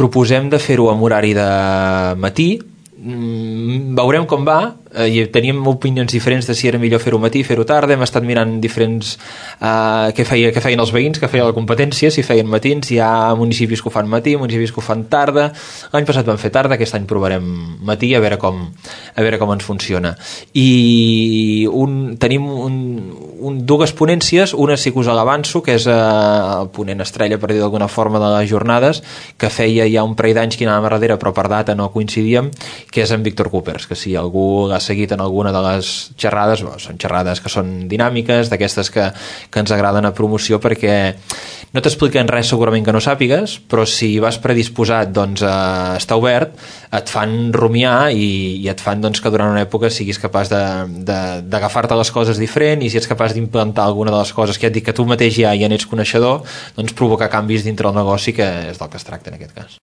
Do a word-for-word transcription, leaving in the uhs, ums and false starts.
proposem de fer-ho amb horari de matí. Mm, veurem com va. Eh, i teníem opinions diferents de si era millor fer-ho matí, fer-ho tarda. Hem estat mirant diferents eh, què, feia, què feien els veïns, què feia la competència, si feien matins. Hi ha municipis que ho fan matí, municipis que ho fan tarda. L'any passat vam fer tarda, aquest any provarem matí, a veure com, a veure com ens funciona. I un, tenim un, un, dues ponències. Una sí que us l'avanço, que és eh, el ponent estrella, per dir d'alguna forma, de les jornades, que feia ja un parell d'anys que anàvem a darrere, però per data no coincidíem, que és en Víctor Coopers, que si algú l'ha seguit en alguna de les xerrades, bueno, són xerrades que són dinàmiques, d'aquestes que, que ens agraden a promoció, perquè no t'expliquen res segurament que no sàpigues, però si vas predisposat, doncs eh, està obert, et fan rumiar i, i et fan doncs, que durant una època siguis capaç d'agafar-te les coses diferent, i si ets capaç d'implantar alguna de les coses que ja et dic que tu mateix ja, ja n'ets coneixedor, doncs provocar canvis dintre el negoci, que és del que es tracta en aquest cas.